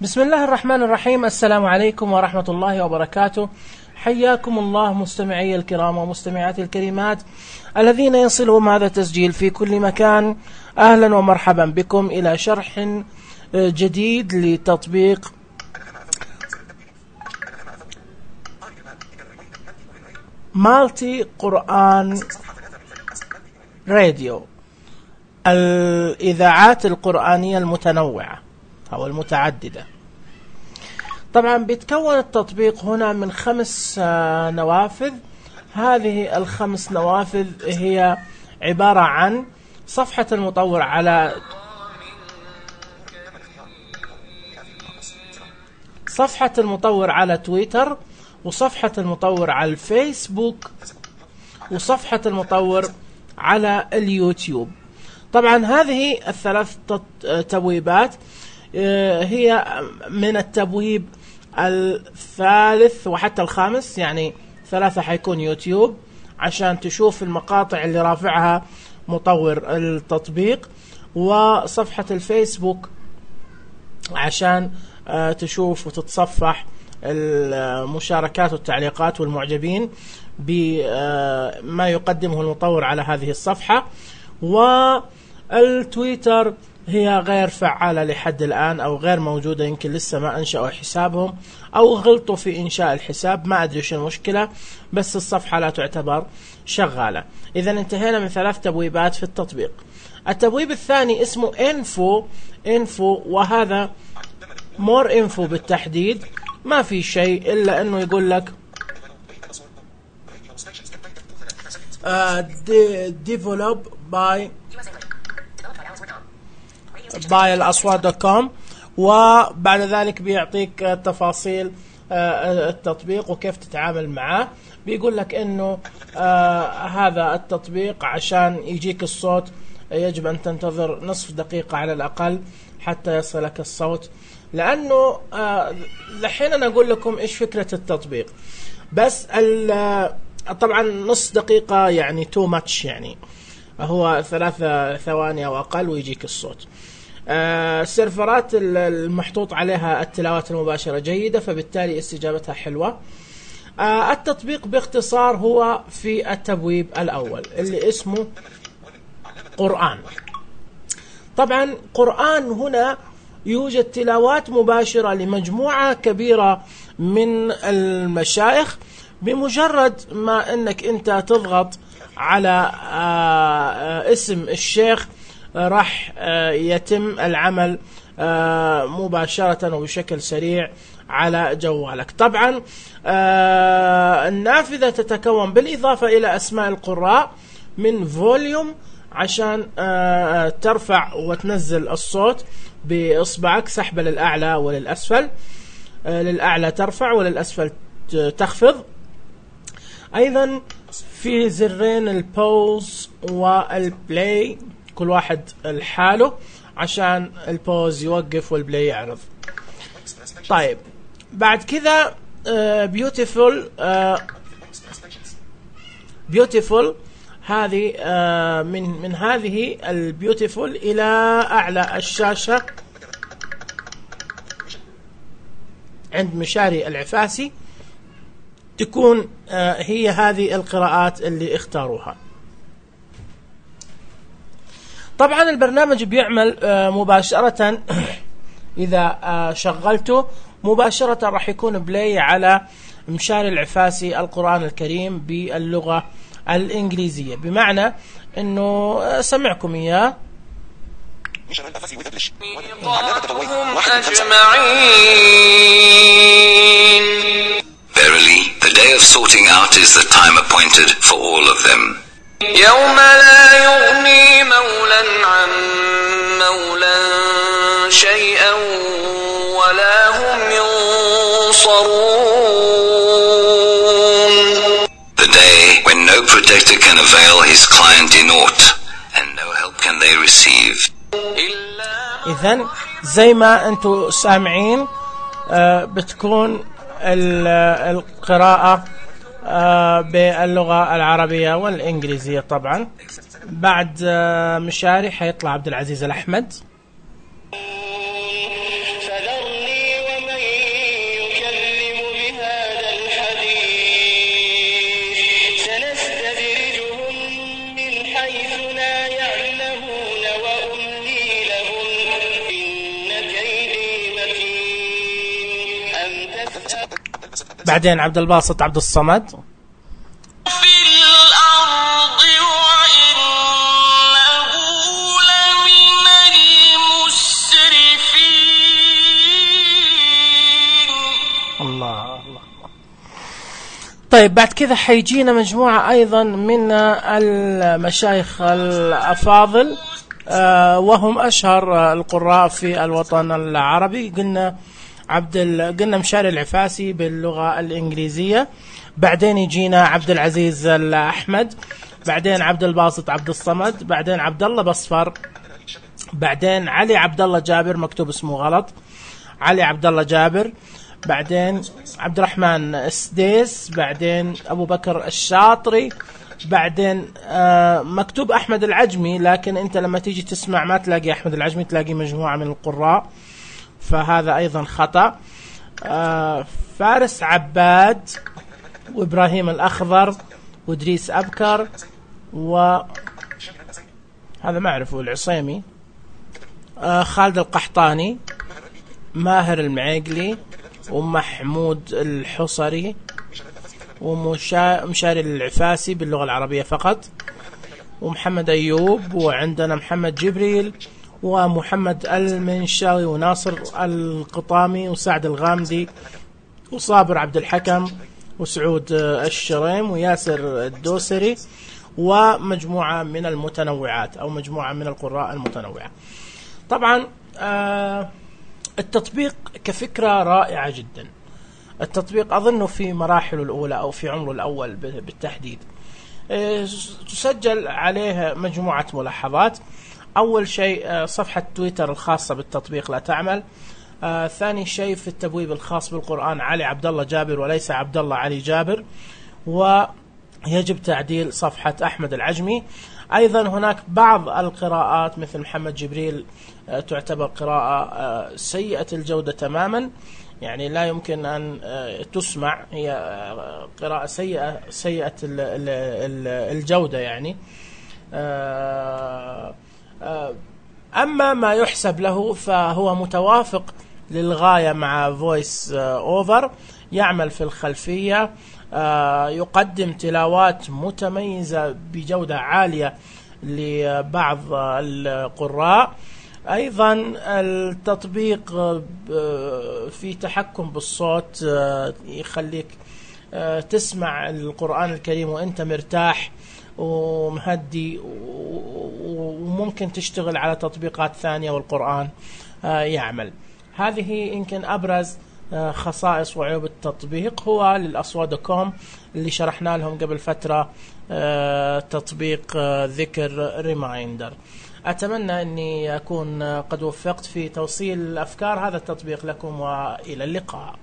بسم الله الرحمن الرحيم. السلام عليكم ورحمة الله وبركاته. حياكم الله مستمعي الكرام ومستمعاتي الكريمات الذين يصلهم هذا التسجيل في كل مكان. أهلا ومرحبا بكم إلى شرح جديد لتطبيق مالتي قرآن راديو، الإذاعات القرآنية المتنوعة أو المتعددة. طبعا بيتكون التطبيق هنا من 5 نوافذ. هذه ال5 نوافذ هي عبارة عن صفحة المطور على تويتر، وصفحة المطور على الفيسبوك، وصفحة المطور على اليوتيوب. طبعا هذه ال3 تبويبات هي من التبويب الثالث وحتى الخامس، يعني 3 حيكون يوتيوب عشان تشوف المقاطع اللي رافعها مطور التطبيق، وصفحة الفيسبوك عشان تشوف وتتصفح المشاركات والتعليقات والمعجبين بما يقدمه المطور على هذه الصفحة. والتويتر هي غير فعالة لحد الآن أو غير موجودة، يمكن لسه ما أنشأوا حسابهم أو غلطوا في إنشاء الحساب، ما أدري شو المشكلة، بس الصفحة لا تعتبر شغالة. إذا انتهينا من 3 تبويبات في التطبيق. التبويب الثاني اسمه info، وهذا more info بالتحديد، ما في شيء إلا أنه يقول لك develop by الأصوات.com، وبعد ذلك بيعطيك تفاصيل التطبيق وكيف تتعامل معه. بيقول لك انه هذا التطبيق عشان يجيك الصوت يجب ان تنتظر نصف دقيقة على الاقل حتى يصلك الصوت، لانه لحين انا اقول لكم ايش فكرة التطبيق، بس طبعا نصف دقيقة يعني too much، يعني هو 3 ثواني او اقل ويجيك الصوت. السيرفرات المحطوط عليها التلاوات المباشرة جيدة، فبالتالي استجابتها حلوة. التطبيق باختصار هو في التبويب الأول اللي اسمه قرآن. طبعا قرآن هنا يوجد تلاوات مباشرة لمجموعة كبيرة من المشايخ. بمجرد ما انك انت تضغط على اسم الشيخ راح يتم العمل مباشرة وبشكل سريع على جوالك. طبعا النافذة تتكون بالإضافة إلى أسماء القراء من فوليوم عشان ترفع وتنزل الصوت بإصبعك، سحبة للأعلى وللأسفل، للأعلى ترفع وللأسفل تخفض. أيضا في زرين البوز والبلاي، كل واحد الحاله عشان البوز يوقف والبلاي يعرض. طيب بعد كذا بيوتيفول هذه من هذه البيوتيفول إلى أعلى الشاشة عند مشاري العفاسي تكون هي هذه القراءات اللي اختاروها. طبعا البرنامج بيعمل مباشرة إذا شغلته مباشرة راح يكون بلاي على مشاري العفاسي القرآن الكريم باللغة الإنجليزية، بمعنى أنه سمعكم إياه. Verily, the day of sorting out is the time appointed for all of them. يوم لا يغني مولا عن مولا شيئا ولا هم ينصرون. The day when no protector can avail his client in aught and no help can they receive. إذن زي ما أنتم سامعين بتكون القراءة باللغة العربية والإنجليزية. طبعا بعد مشاري حيطلع عبد العزيز الأحمد. فذرني بعدين عبد الباسط عبد الصمد. طيب بعد كذا حيجينا مجموعة أيضا من المشايخ الأفاضل وهم أشهر القراء في الوطن العربي. قلنا مشاري العفاسي باللغة الإنجليزية، بعدين يجينا عبد العزيز الأحمد، بعدين عبد الباسط عبد الصمد، بعدين عبد الله بصفر، بعدين علي عبد الله جابر، مكتوب اسمه غلط، علي عبد الله جابر، بعدين عبد الرحمن السديس، بعدين أبو بكر الشاطري، بعدين مكتوب أحمد العجمي، لكن أنت لما تيجي تسمع ما تلاقي أحمد العجمي، تلاقي مجموعة من القراء، فهذا أيضا خطأ. فارس عباد وإبراهيم الأخضر وإدريس أبكر وهذا ما أعرفه العصيمي، خالد القحطاني، ماهر المعيقلي ومحمود الحصري ومشاري العفاسي باللغة العربية فقط، ومحمد أيوب، وعندنا محمد جبريل ومحمد المنشاوي وناصر القطامي وسعد الغامدي وصابر عبد الحكم وسعود الشريم وياسر الدوسري، ومجموعة من المتنوعات أو مجموعة من القراء المتنوعة. طبعا التطبيق كفكرة رائعة جدا. التطبيق أظنه في مراحله الأولى أو في عمره الأول بالتحديد تسجل عليه مجموعة ملاحظات. أول شيء صفحة تويتر الخاصة بالتطبيق لا تعمل. ثاني شيء في التبويب الخاص بالقرآن علي عبد الله جابر وليس عبد الله علي جابر، ويجب تعديل صفحة أحمد العجمي. أيضا هناك بعض القراءات مثل محمد جبريل تعتبر قراءة سيئة الجودة تماما، يعني لا يمكن أن تسمع، هي قراءة سيئة الجودة يعني. أما ما يحسب له فهو متوافق للغاية مع فويس أوفر، يعمل في الخلفية، يقدم تلاوات متميزة بجودة عالية لبعض القراء. أيضا التطبيق في تحكم بالصوت، يخليك تسمع القرآن الكريم وأنت مرتاح ومهدي، وممكن تشتغل على تطبيقات ثانية والقرآن يعمل. هذه يمكن أبرز خصائص وعيوب التطبيق. هو للأصوات.com اللي شرحنا لهم قبل فترة تطبيق ذكر ريمايندر. أتمنى أني أكون قد وفقت في توصيل الأفكار هذا التطبيق لكم، وإلى اللقاء.